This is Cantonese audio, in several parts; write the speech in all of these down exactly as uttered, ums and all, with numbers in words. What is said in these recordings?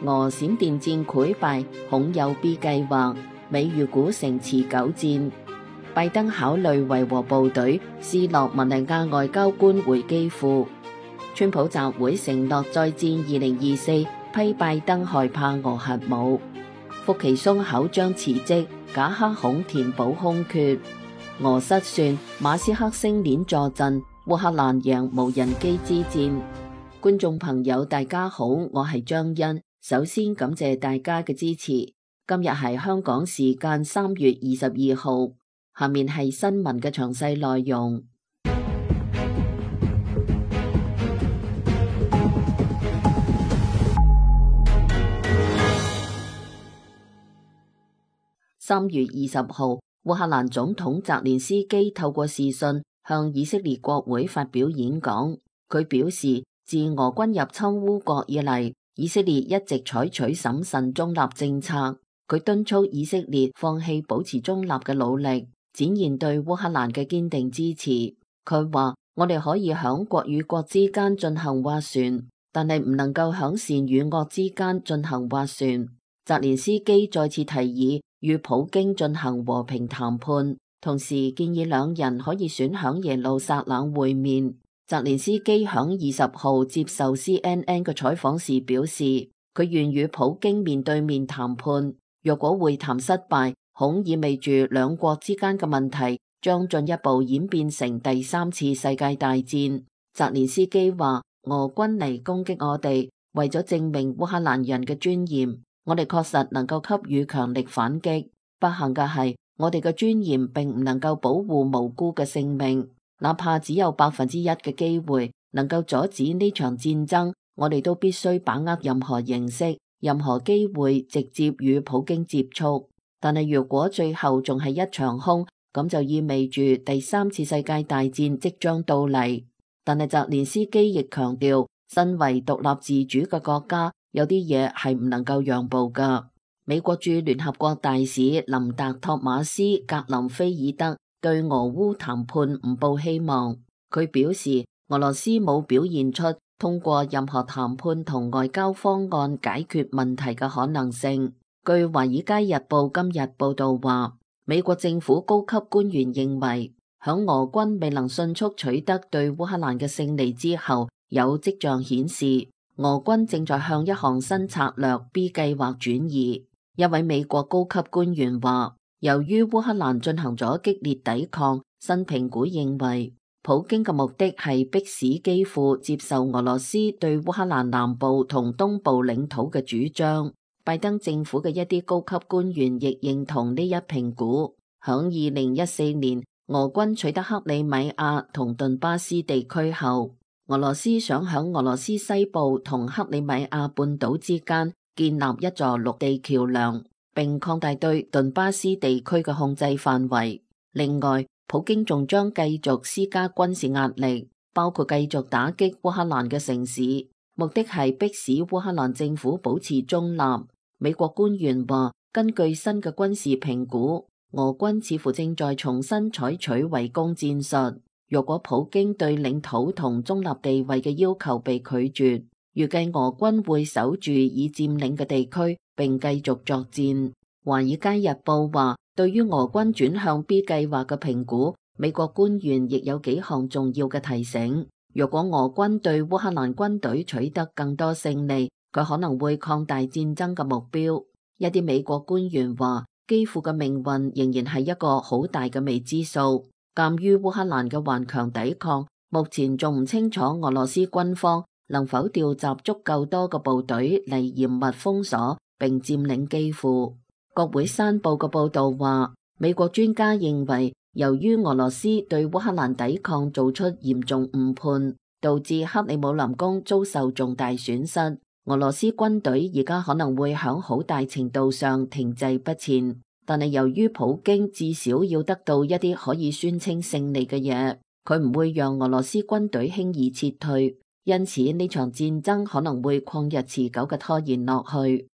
俄閃電戰潰敗，恐有 B 計劃，美豫古城持久戰。拜登考慮維和部隊，斯洛文尼亞外交官回基輔。川普集會承諾再戰二零二四，批拜登害怕俄核武。福奇松口將辭職，賈克孔填補空缺。俄失算，馬斯克星鏈坐鎮，烏克蘭贏無人機之戰。觀眾朋友大家好，我係張欣，首先感謝大家嘅支持。今日係香港時間三月二十二號，下面係新聞嘅詳細內容。三月二十號，烏克蘭總統澤連斯基透過視訊向以色列國會發表演講。佢表示，自俄軍入侵烏國以嚟，以色列一直採取審慎中立政策。佢敦促以色列放棄保持中立嘅努力，展現對烏克蘭嘅堅定支持。佢話：我哋可以響國與國之間進行斡旋，但係唔能夠響善與惡之間進行斡旋。澤連斯基再次提議與普京進行和平談判，同時建議兩人可以選響耶路撒冷會面。澤連斯基響二十號接受 C N N 嘅採訪時表示，佢願與普京面對面談判。若果會談失敗，恐意味住兩國之間嘅問題將進一步演變成第三次世界大戰。澤連斯基話：俄軍嚟攻擊我哋，為咗證明烏克蘭人嘅尊嚴，我哋確實能夠給予強力反擊。不幸嘅係，我哋嘅尊嚴並唔能夠保護無辜嘅性命，哪怕只有百分之一嘅機會能夠阻止呢場戰爭，我哋都必須把握任何形式、任何機會直接與普京接觸。但係如果最後仲係一場空，咁就意味住第三次世界大戰即將到嚟。但係澤連斯基亦強調，身為獨立自主嘅國家，有啲嘢係唔能夠讓步㗎。美國駐聯合國大使林達托馬斯格林菲爾德對俄烏談判唔抱希望。佢表示，俄羅斯冇表現出通過任何談判同外交方案解決問題嘅可能性。據華爾街日報今日報道話，美國政府高級官員認為，響俄軍未能迅速取得對烏克蘭嘅勝利之後，有跡象顯示俄軍正在向一項新策略 B 計劃轉移。一位美國高級官員話，由於烏克蘭進行咗激烈抵抗，新評估認為普京嘅目的係迫使基輔接受俄羅斯對烏克蘭南部同東部領土嘅主張。拜登政府嘅一啲高級官員亦認同呢一評估。響二零一四年，俄軍取得克里米亞同頓巴斯地區後，俄羅斯想響俄羅斯西部同克里米亞半島之間建立一座陸地橋樑，並擴大對頓巴斯地區嘅控制範圍。另外，普京仲將繼續施加軍事壓力，包括繼續打擊烏克蘭嘅城市，目的係迫使烏克蘭政府保持中立。美國官員話，根據新嘅軍事評估，俄軍似乎正在重新採取圍攻戰術。若果普京對領土同中立地位嘅要求被拒絕，預計俄軍會守住已佔領嘅地區，並繼續作戰。華爾街日報話，對於俄軍轉向 B 計劃嘅評估，美國官員亦有幾項重要嘅提醒。若果俄軍對烏克蘭軍隊取得更多勝利，佢可能會擴大戰爭嘅目標。一啲美國官員話，基輔嘅命運仍然係一個好大嘅未知數。鑑於烏克蘭嘅頑強抵抗，目前仲唔清楚俄羅斯軍方能否調集足夠多嘅部隊嚟嚴密封鎖並佔領基輔。國會山報嘅報道話，美國專家認為，由於俄羅斯對烏克蘭抵抗做出嚴重誤判，導致克里姆林宮遭受重大損失，俄羅斯軍隊而家可能會響好大程度上停滯不前。但係由於普京至少要得到一啲可以宣稱勝利嘅嘢，佢唔會讓俄羅斯軍隊輕易撤退，因此呢場戰爭可能會曠日持久嘅拖延落去。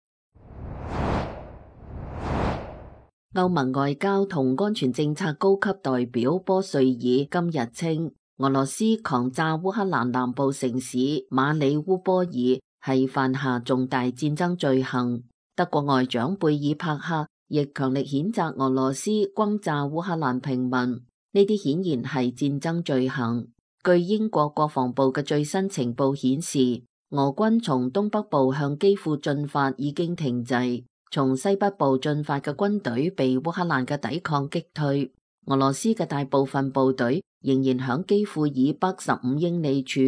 歐盟外交同安全政策高級代表波瑞爾今日稱，俄羅斯狂炸烏克蘭南部城市馬里烏波爾，係犯下重大戰爭罪行。德國外長貝爾帕克亦強力譴責俄羅斯轟炸烏克蘭平民，呢啲顯然係戰爭罪行。據英國國防部嘅最新情報顯示，俄軍從東北部向基輔進發已經停滯，從西北部進發嘅軍隊被烏克蘭嘅抵抗擊退。俄羅斯嘅大部分部隊仍然響基輔以北十五英里處，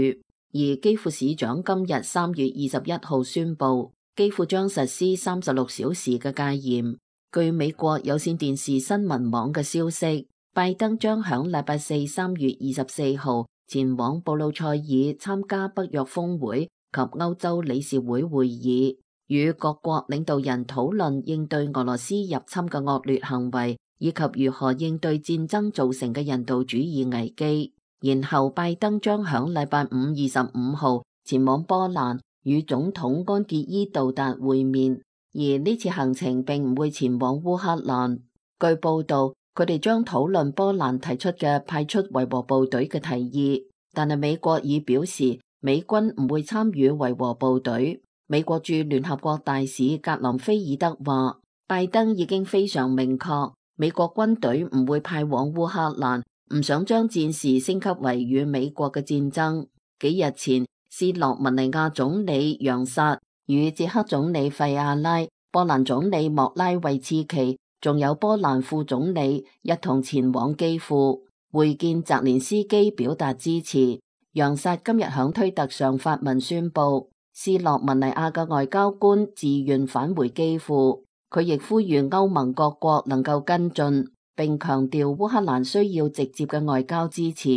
而基輔市長今日三月二十一號宣布，基輔將實施三十六小時嘅戒嚴。據美國有線電視新聞網嘅消息，拜登將響禮拜四三月二十四號前往布魯塞爾參加北約峰會及歐洲理事會會議，與各國領導人討論應對俄羅斯入侵嘅惡劣行為，以及如何應對戰爭造成嘅人道主義危機。然後拜登將響禮拜五二十五號前往波蘭與總統安傑伊杜達會面，而呢次行程並唔會前往烏克蘭。據報道，佢哋將討論波蘭提出嘅派出維和部隊嘅提議，但係美國已表示美軍唔會參與維和部隊。美國駐聯合國大使格林菲爾德話，拜登已經非常明確，美國軍隊唔會派往烏克蘭，唔想將戰事升級為與美國嘅戰爭。幾日前，斯洛文尼亞總理楊薩與捷克總理費亞拉、波蘭總理莫拉維茨奇，仲有波蘭副總理一同前往基輔會見澤連斯基，表達支持。楊薩今日響推特上發文宣布，斯洛文尼亞嘅外交官自願返回基輔。佢亦呼籲歐盟各國能夠跟進，並強調烏克蘭需要直接嘅外交支持。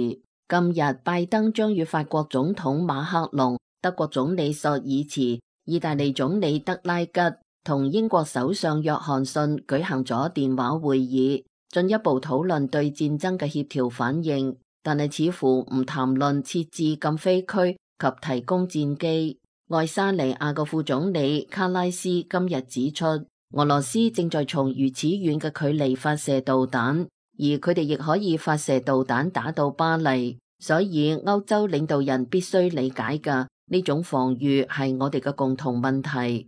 今日拜登將與法國總統馬克龍、德國總理朔爾茨、意大利總理德拉吉同英國首相約翰遜舉行咗電話會議，進一步討論對戰爭嘅協調反應，但係似乎唔談論設置禁飛區及提供戰機。愛沙尼亞嘅副總理卡拉斯今日指出，俄羅斯正在從如此遠嘅距離發射導彈，而佢哋亦可以發射導彈打到巴黎，所以歐洲領導人必須理解嘅呢種防禦係我哋嘅共同問題。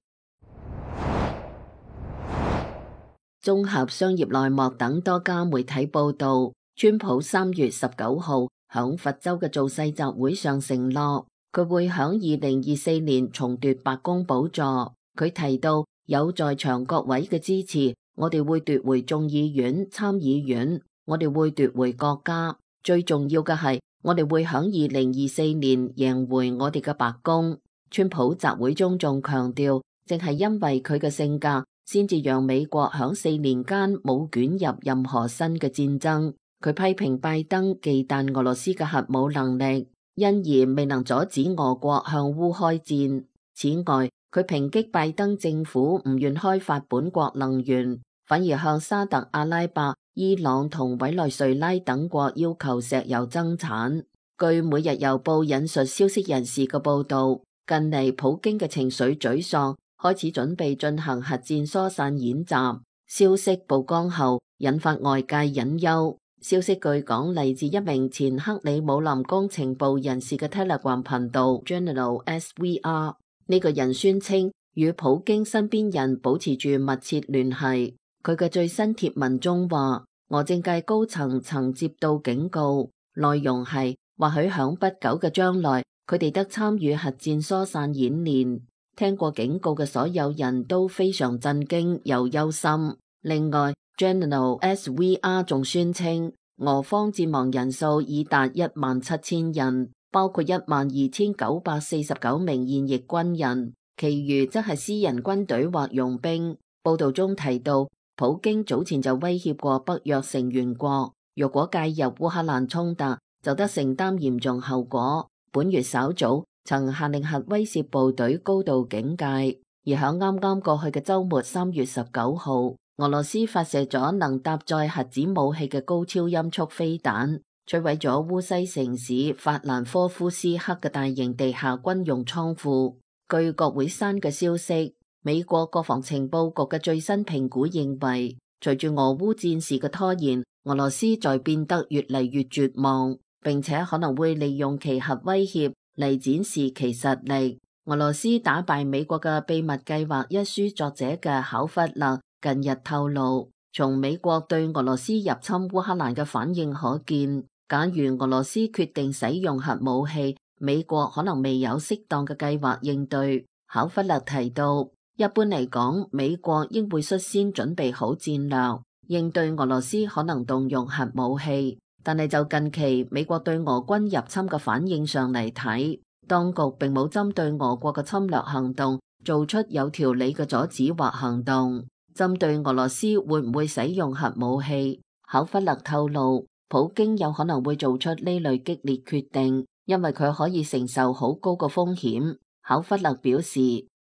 綜合商業內幕等多家媒體報道，川普三月十九號響佛州嘅造勢集會上承諾，佢會響二零二四年重奪白宮寶座。佢提到，有在場各位嘅支持，我哋會奪回眾議院、參議院，我哋會奪回國家。最重要嘅係，我哋會響二零二四年贏回我哋嘅白宮。川普集會中仲強調，正係因為佢嘅性格，先至讓美國響四年間冇捲入任何新嘅戰爭。佢批評拜登忌憚俄羅斯嘅核武能力，因而未能阻止俄國向烏開戰。此外，佢抨擊拜登政府唔願開發本國能源，反而向沙特阿拉伯、伊朗同委內瑞拉等國要求石油增產。據每日郵報引述消息人士嘅報道，近嚟普京嘅情緒沮喪，開始準備進行核戰疏散演習。消息曝光後，引發外界隱憂。消息據講嚟自一名前克里姆林宮情報人士嘅 Telegram 頻道 General S V R。呢個人宣稱與普京身邊人保持住密切聯繫。佢嘅最新貼文中話，俄政界高層曾接到警告，內容係或許響不久嘅將來，佢哋得參與核戰疏散演練。聽過警告嘅所有人都非常震驚又憂心。另外 General S V R 仲宣稱，俄方戰亡人數已達一萬七千人，包括一萬二千九百四十九名現役軍人，其餘則係私人軍隊或傭兵。報道中提到，普京早前就威脅過北約成員國，若果介入烏克蘭衝突，就得承擔嚴重後果。本月稍早曾下令核威懾部隊高度警戒，而響啱啱過去嘅週末三月十九號，俄羅斯發射咗能搭載核子武器嘅高超音速飛彈，摧毀咗烏西城市法蘭科夫斯克嘅大型地下軍用倉庫。據國會山嘅消息，美國國防情報局嘅最新評估認為，隨住俄烏戰事嘅拖延，俄羅斯在變得越嚟越絕望，並且可能會利用其核威脅嚟展示其實力。俄羅斯打敗美國嘅秘密計劃一書作者嘅考弗勒近日透露，從美國對俄羅斯入侵烏克蘭嘅反應可見，假如俄羅斯決定使用核武器，美國可能未有適當嘅計劃應對。考弗勒提到，一般嚟講，美國應會率先準備好戰略，應對俄羅斯可能動用核武器。但係就近期美國對俄軍入侵嘅反應上嚟睇，當局並冇針對俄國嘅侵略行動做出有條理嘅阻止或行動。針對俄羅斯會唔會使用核武器，考弗勒透露，普京有可能會做出呢類激烈決定，因為佢可以承受好高嘅風險。考弗勒表示，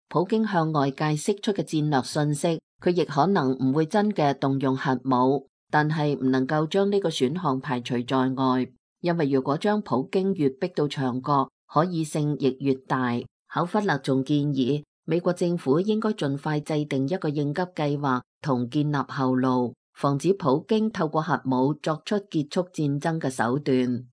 普京向外界釋出嘅戰略信息，佢亦可能唔會真嘅動用核武，但係唔能夠將呢個選項排除在外，因為如果將普京越逼到牆角，可以性亦越大。考弗勒仲建議美國政府應該盡快制定一個應急計劃同建立後路，防止普京透過核武作出結束戰爭嘅手段。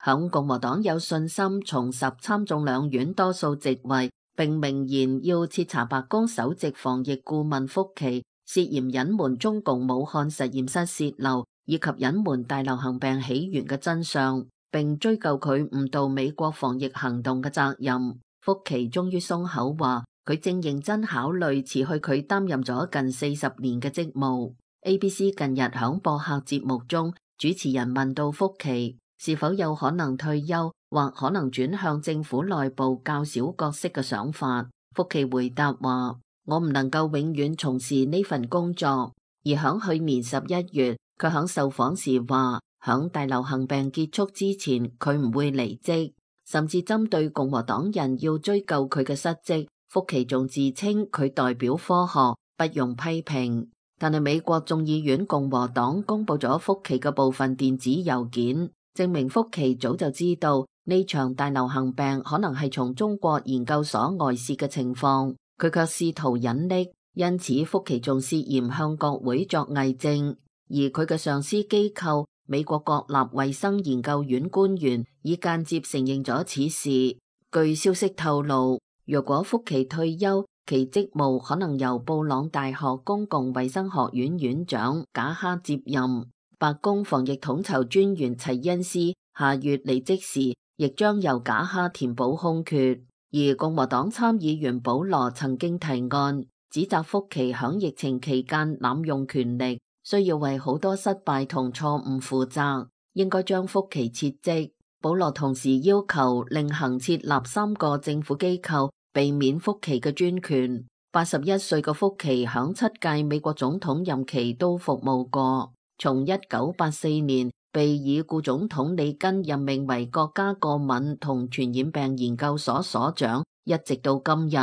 響共和黨有信心重拾參眾兩院多數席位，並明言要徹查白宮首席防疫顧問福奇涉嫌隱瞞中共武漢實驗室洩漏以及隱瞞大流行病起源嘅真相，並追究佢誤導美國防疫行動嘅責任。福奇終於鬆口話，佢正認真考慮辭去佢擔任咗近四十年嘅職務。A B C 近日響播客節目中，主持人問到福奇是否有可能退休，或可能轉向政府內部較小角色嘅想法，福奇回答話，我唔能夠永遠從事呢份工作。而響去年十一月，佢響受訪時話，響大流行病結束之前，佢唔會離職。甚至針對共和黨人要追究佢嘅失職，福奇仲自稱佢代表科學，不用批評。但係美國眾議院共和黨公布咗福奇嘅部分電子郵件，證明福奇早就知道呢場大流行病可能係從中國研究所外泄嘅情況，佢卻試圖隱匿，因此福奇仲涉嫌向國會作偽證。而佢嘅上司機構美國國立衛生研究院官員已間接承認咗此事。據消息透露，若果福奇退休，其職務可能由布朗大學公共衛生學院院長賈哈接任。白宮防疫統籌專員齊恩斯下月離職時，亦將由賈哈填補空缺。而共和黨參議員保羅曾經提案，指責福奇響疫情期間濫用權力，需要為好多失敗同錯誤負責，應該將福奇撤職。保羅同時要求另行設立三個政府機構，避免福奇嘅專權。八十一歲嘅福奇響七屆美國總統任期都服務過，從一九八四年被已故總統里根任命為國家過敏同傳染病研究所所長，一直到今日，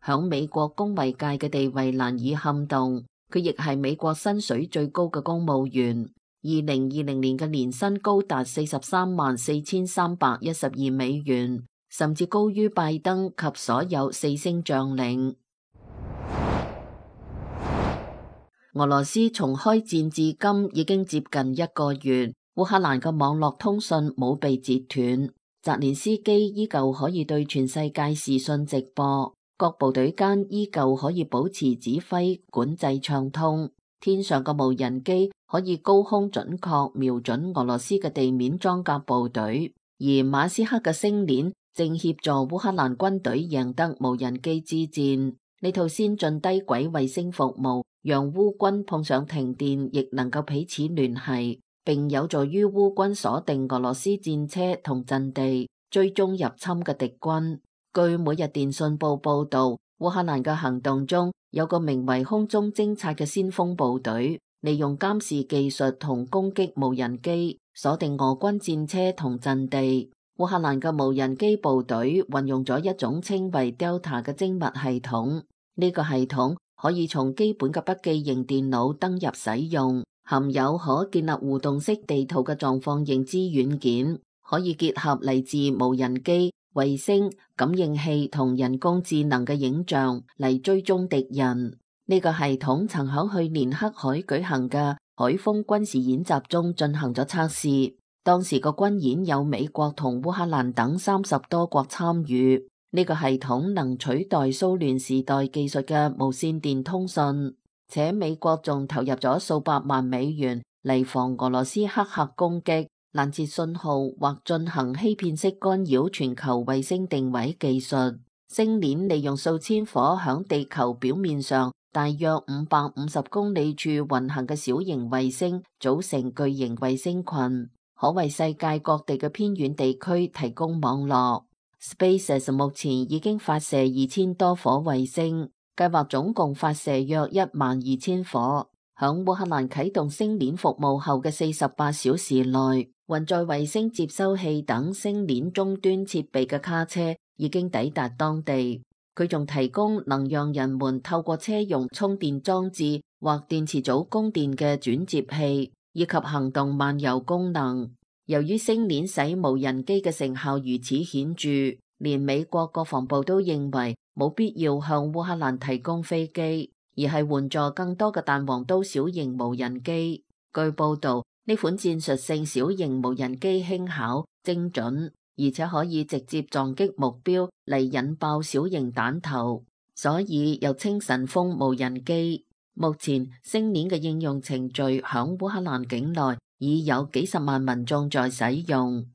響美國公衛界嘅地位難以撼動。佢亦係美國薪水最高嘅公務員，二零二零年嘅年薪高達四十三萬四千三百一十二美元，甚至高於拜登及所有四星將領。俄羅斯從開戰至今已經接近一個月，烏克蘭嘅網絡通訊冇被截斷，澤連斯基依舊可以對全世界視訊直播，各部隊間依舊可以保持指揮管制暢通，天上嘅無人機可以高空準確瞄準俄羅斯嘅地面裝甲部隊，而馬斯克嘅星鏈正協助烏克蘭軍隊贏得無人機之戰。呢套先進低軌衛星服務讓烏軍碰上停電亦能夠彼此聯繫，並有助於烏軍鎖定俄羅斯戰車同陣地，追蹤入侵嘅敵軍。據每日電訊報報道，烏克蘭嘅行動中有個名為空中偵察嘅先鋒部隊，利用監視技術同攻擊無人機，鎖定俄軍戰車同陣地。烏克蘭嘅無人機部隊運用咗一種稱為 Delta 嘅精密系統，呢個系統可以從基本嘅筆記型電腦登入使用，含有可建立互動式地圖嘅狀況認知軟件，可以結合嚟自無人機、衛星、感應器同人工智能嘅影像嚟追蹤敵人。呢個系統曾喺去年黑海舉行嘅海峰軍事演習中進行咗測試。當時個軍演有美國同烏克蘭等三十多國參與。呢個系統能取代蘇聯時代技術嘅無線電通訊，且美國仲投入咗數百萬美元嚟防俄羅斯黑客攻擊、攔截信號或進行欺騙式干擾全球衛星定位技術。星鏈利用數千顆響地球表面上大約五百五十公里處運行嘅小型衛星組成巨型衛星群，可為世界各地嘅偏遠地區提供網絡。SpaceX 目前已經發射二千多顆衛星，計劃總共發射約一萬二千顆。響烏克蘭啟動星鏈服務後嘅四十八小時內，運載衛星接收器等星鏈終端設備嘅卡車已經抵達當地。佢仲提供能讓人們透過車用充電裝置或電池組供電嘅轉接器，以及行動漫遊功能。由於星鏈使無人機嘅成效如此顯著，連美國國防部都認為冇必要向烏克蘭提供飛機，而係援助更多嘅彈簧刀小型無人機。據報道，呢款戰術性小型無人機輕巧、精準，而且可以直接撞擊目標嚟引爆小型彈頭，所以又稱神風無人機。目前星鏈嘅應用程序響烏克蘭境內已有幾十萬民眾在使用。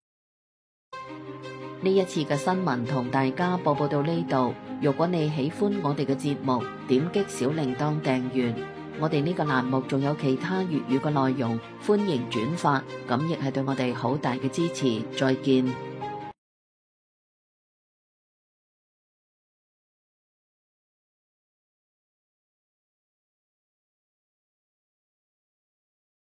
呢一次嘅新聞同大家報報到呢度。如果你喜歡我哋嘅節目，點擊小鈴鐺訂閱。我哋呢個欄目仲有其他粵語嘅內容，歡迎轉發，咁亦係對我哋好大嘅支持。再見。